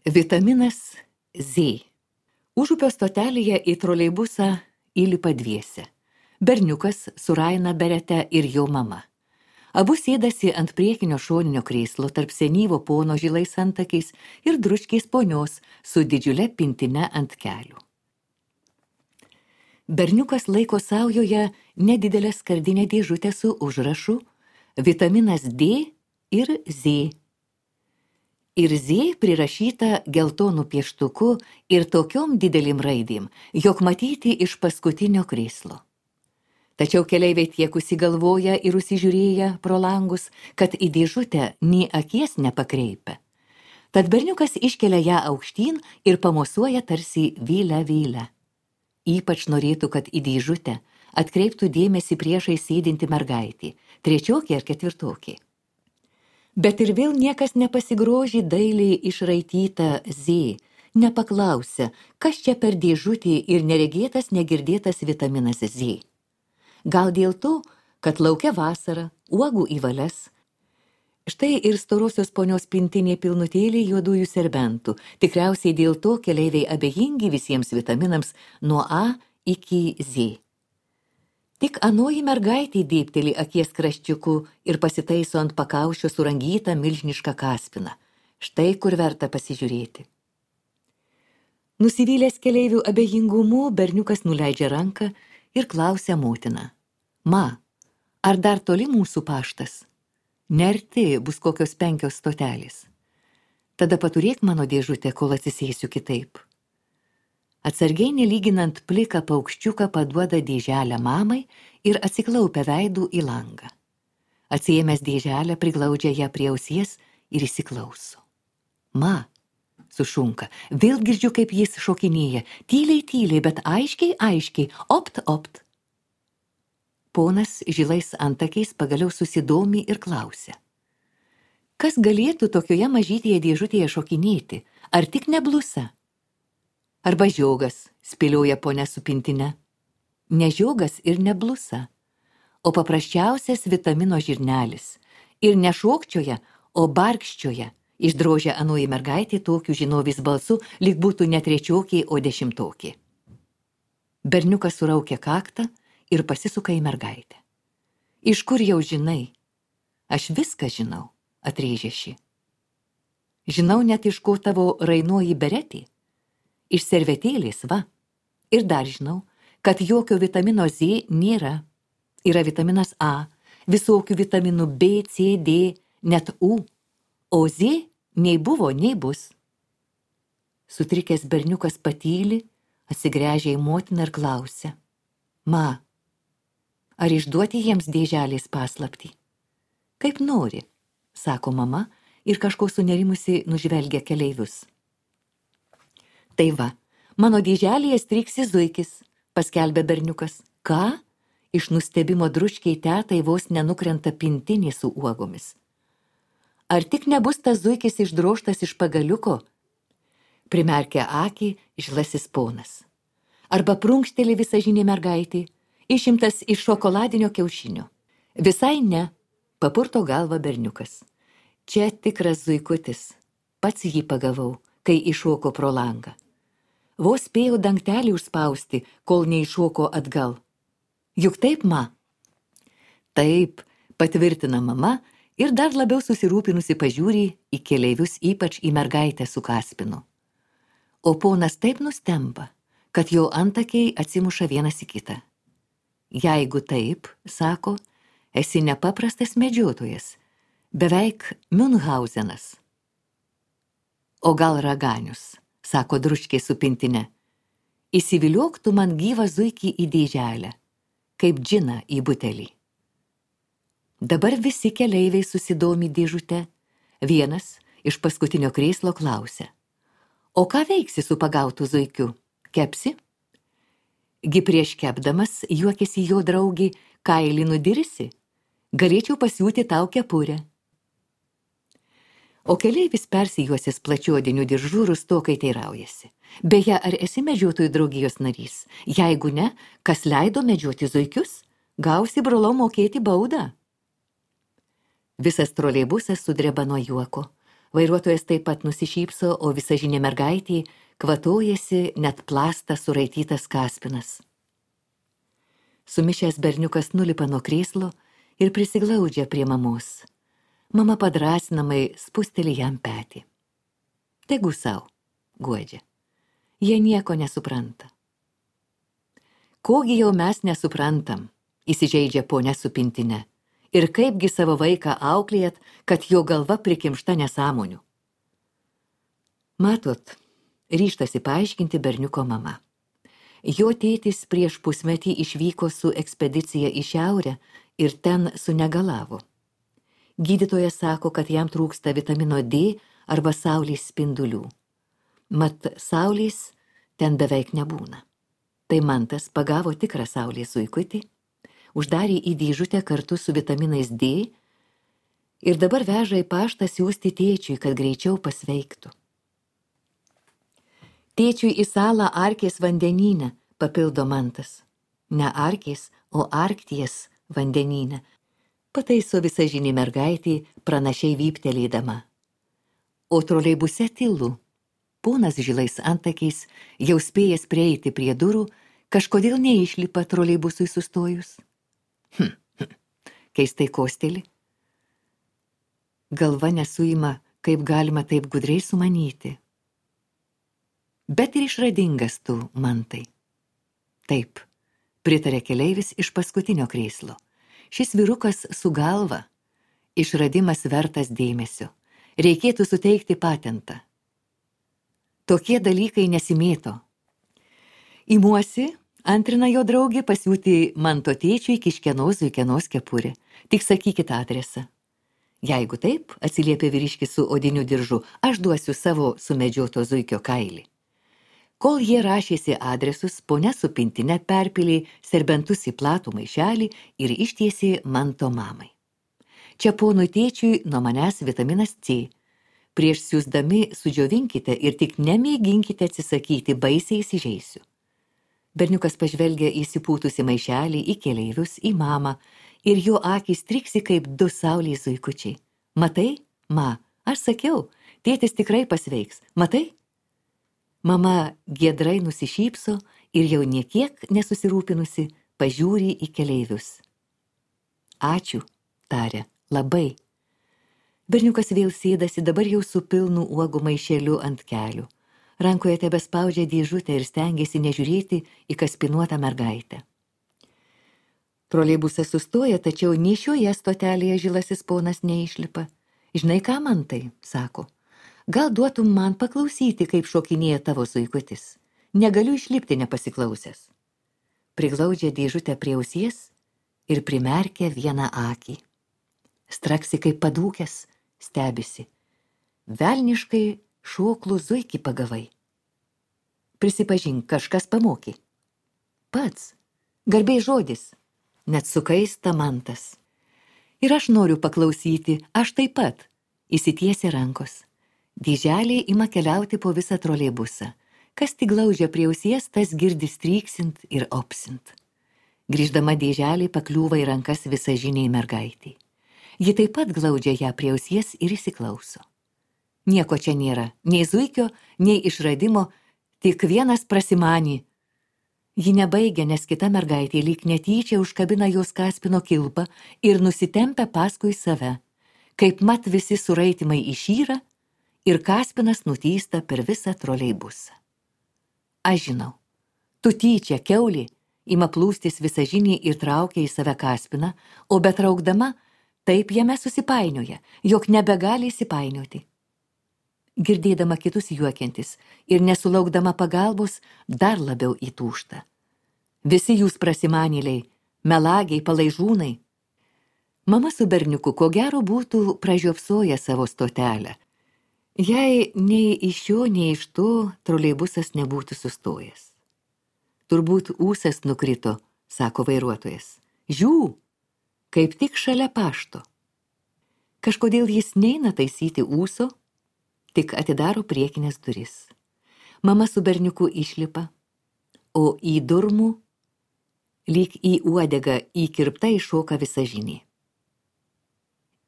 Vitaminas Z. Užupio stotelėje į troleibusą įlipa dviese. Berniukas su Raina Berete ir jo mama. Abu sėdasi ant priekinio šoninio krėslo tarp senyvo pono žilais antakiais ir dručkiais ponios su didžiule pintine ant kelių. Berniukas laiko saujoje nedidelę skardinę dėžutę su užrašu Vitaminas D ir Z. Ir Z prirašyta geltonų pieštuku ir tokiom didelim raidėm, jog matyti iš paskutinio krėslo. Tačiau keleiviai tiek užsigalvoja ir užsižiūrėję pro langus, kad į dėžutę nė akies nepakreipia. Tad berniukas iškelia ją aukštyn ir pamosuoja tarsi vylę. Ypač norėtų, kad į dėžutę atkreiptų dėmesį priešai sėdinti mergaitį, trečiokė ar ketvirtokė. Bet ir vėl niekas nepasigroži dailiai išraityta Z, nepaklausia, kas čia per dėžutį ir neregėtas negirdėtas vitaminas Z. Gal dėl to, kad laukia vasara, uogų į valias. Štai ir storosios ponios pintinė pilnutėlė juodųjų serbentų. Tikriausiai dėl to keleiviai abejingi visiems vitaminams nuo A iki Z. Tik anoji mergaitė dėbteli akies kraščiuku ir pasitaiso ant pakaušio surangytą milžinišką kaspiną. Štai kur verta pasižiūrėti. Nusivylęs keleivių abejingumu, berniukas nuleidžia ranką ir klausia motiną. Ma, ar dar toli mūsų paštas? Nerti bus kokios 5 stotelės. Tada paturėk mano dėžutę, kol atsisėsiu kitaip. Atsargiai nelyginant pliką paukščiuką paduoda dėželę mamai ir atsiklaupia veidų į langą. Atsiėmęs dėželę priglaudžia ją prie ausies ir įsiklauso. Ma, sušunka, vėl girdžiu, kaip jis šokinėja, tyliai, bet aiškiai, opt. Ponas žilais antakiais pagaliau susidomi ir klausia. Kas galėtų tokioje mažytėje dėžutėje šokinėti, ar tik ne blusa? Arba žiogas, spėlioja ponia su pintine. Ne žiogas ir ne blusa, o paprasčiausias vitamino žirnelis. Ir ne šokčioja, o barkščioja, išdrožia anoji mergaitė tokiu žinovis balsu, lyg būtų ne trečiokė, o 10. Berniukas suraukia kaktą ir pasisuka į mergaitę. Iš kur jau žinai? Aš viską žinau, atrėžė ši. Žinau net iš ko tavo Rainoji Beretė. Iš servetėlės, va. Ir dar žinau, kad jokio vitamino Z nėra. Yra vitaminas A, visokių vitaminų B, C, D, net U. O Z nei buvo, nei bus. Sutrikęs berniukas patyli, atsigręžia į motiną ir klausia. Ma, ar išduoti jiems dėželės paslaptį? Kaip nori, sako mama ir kažko sunerimusi nužvelgia keleivius. Tai va, mano dėželėje striksi zuikis, paskelbė berniukas. Ką? Iš nustebimo dručkiai tetai vos nenukrenta pintinė su uogomis. Ar tik nebus tas zuikis išdroštas iš pagaliuko? Primerkia akį žlasis ponas. Arba prunkšteli visažinė mergaitė, išimtas iš šokoladinio kiaušinio. Visai ne, papurto galvą berniukas. Čia tikras zuikutis. Pats jį pagavau, kai iššoko pro langą. Vos spėjau dangtelį užspausti, kol neiššoko atgal. Juk taip, ma? Taip, patvirtina mama ir dar labiau susirūpinusi pažiūri į keleivius, ypač į mergaitę su kaspinu. O ponas taip nustemba, kad jo antakiai atsimuša vienas į kitą. Jeigu taip, sako, esi nepaprastas medžiotojas, beveik Münchhausenas. O gal raganius, sako dručkė su pintine. Įsiviliok tu man gyvą zuikį į dėželę, kaip džiną į butelį. Dabar visi keleiviai susidomi dėžute. Vienas iš paskutinio krėslo klausia. O ką veiksi su pagautu zuikiu? Kepsi? Gi prieš kepdamas juokėsi jo draugį, kailį nudirsi? Galėčiau pasiūti tau kepurę. O keleivis persijuosis plačiuodiniu diržu rustokai teiraujasi. Beje, ar esi medžiotojų draugijos narys? Jeigu ne, kas leido medžioti zuikius? Gausi brolau mokėti baudą. Visas troleibusas sudreba nuo juoko. Vairuotojas taip pat nusišypso, o visažinė mergaitė kvatojasi net plastą suraitytas kaspinas. Sumišęs berniukas nulipa nuo krėslo ir prisiglaudžia prie mamos. Mama padrasinamai spusteli jam petį. Tegu sau, guodžia. Jie nieko nesupranta. Kogi jau mes nesuprantam, įsižeidžia ponia su pintine. Ir kaipgi savo vaiką auklėjat, kad jo galva prikimšta nesąmonių. Matot, ryžtasi paaiškinti berniuko mama. Jo tėtis prieš pusmetį išvyko su ekspedicija į šiaurę ir ten sunegalavo. Gydytojas sako, kad jam trūksta vitamino D arba saulės spindulių. Mat saulės ten beveik nebūna. Tai mantas pagavo tikrą saulės zuikutį, uždarė į dėžutę kartu su vitaminais D ir dabar veža į paštą siųsti tėčiui, kad greičiau pasveiktų. Tėčiui į salą Arkės vandenyne, papildo mantas. Ne Arkės, o Arkties vandenyne, pataiso visažinė mergaitė pranašiai vyptelėdama. O troleibuse tylu. Ponas žilais antakiais, jau spėjęs prieiti prie durų, kažkodėl neišlipa troleibusui sustojus. Keistai kosteli. Galva nesuima, kaip galima taip gudriai sumanyti. Bet ir išradingas tu, mantai. Taip, pritarė keleivis iš paskutinio krėslo. Šis vyrukas su galva. Išradimas vertas dėmesio. Reikėtų suteikti patentą. Tokie dalykai nesimėto. Imuosi, antrina jo draugė, pasiūti manto tėčiui kiškenos zuikenos kepurė. Tik sakykit adresą. Jeigu taip, atsiliepė vyriškis su odiniu diržu, aš duosiu savo sumedžioto zuikio kailį. Kol jie rašėsi adresus, ponia su pintine perpilė serbentus į platų maišelį ir ištiesė manto mamai. Čia ponui tėčiui nuo manęs vitaminas C. Prieš siųsdami sudžiovinkite ir tik nemėginkite atsisakyti, baisiai įsižeisiu. Berniukas pažvelgia įsipūtusi maišelį, į keleivius, į mamą, ir jo akys triksi kaip du saulės zuikučiai. Matai, ma, aš sakiau, tėtis tikrai pasveiks. Matai? Mama giedrai nusišypso ir jau niekiek nesusirūpinusi pažiūri į keleivius. Ačiū, tarė, labai. Berniukas vėl sėdasi, dabar jau su pilnu uogų maišeliu ant kelių. Rankoje tebespaudžia dėžutę ir stengiasi nežiūrėti į kaspinuotą mergaitę. Troleibusas sustoja, tačiau nei šioje stotelėje žilasis ponas neišlipa. Žinai ką, mantai, sako, gal duotum man paklausyti, kaip šokinėja tavo zuikutis. Negaliu išlipti nepasiklausęs. Priglaudžia dėžutę prie ausies ir primerkia vieną akį. Straksi kaip padūkęs, stebisi. Velniškai šoklų zuikį pagavai. Prisipažink, kažkas pamokė. Pats, garbės žodis, net sukaista mantas. Ir aš noriu paklausyti, aš taip pat, įsitiesia rankos. Dėželė ima keliauti po visą troleibusą. Kas tik glaudžia prie ausies, tas girdi stryksint ir opsint. Grįždama dėželė pakliūva į rankas visažiniai mergaitei. Ji taip pat glaudžia ją prie ausies ir įsiklauso. Nieko čia nėra, nei zuikio, nei išradimo, tik vienas prasimanį. Ji nebaigia, nes kita mergaitė lyg netyčia užkabina jos kaspino kilpą ir nusitempia paskui save. Kaip mat visi suraitimai išyra ir kaspinas nutįsta per visą troleibusą. Aš žinau, tu tyčia, kiaulė, ima plūstis visažinį ir traukia į save kaspiną, o betraukdama taip jame susipainioja, jog nebegali įsipainioti. Girdėdama kitus juokiantis ir nesulaukdama pagalbos, dar labiau įtūžta. Visi jūs prasimanėliai, melagiai, palaižūnai. Mama su berniuku ko gero būtų pražiopsoję savo stotelę. Jei nei iš šio, nei iš to troleibusas nebūtų sustojęs. Turbūt ūsas nukrito, sako vairuotojas. Žiū, kaip tik šalia pašto. Kažkodėl jis neina taisyti ūso, tik atidaro priekinės duris. Mama su berniuku išlipa, o į durmų, lyg į uodegą įkirpta iššoka visažinė.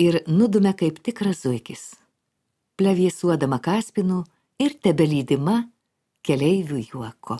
Ir nudumia kaip tikras zuikis. plevėsuodama kaspinu ir tebelydima keleivių juoko.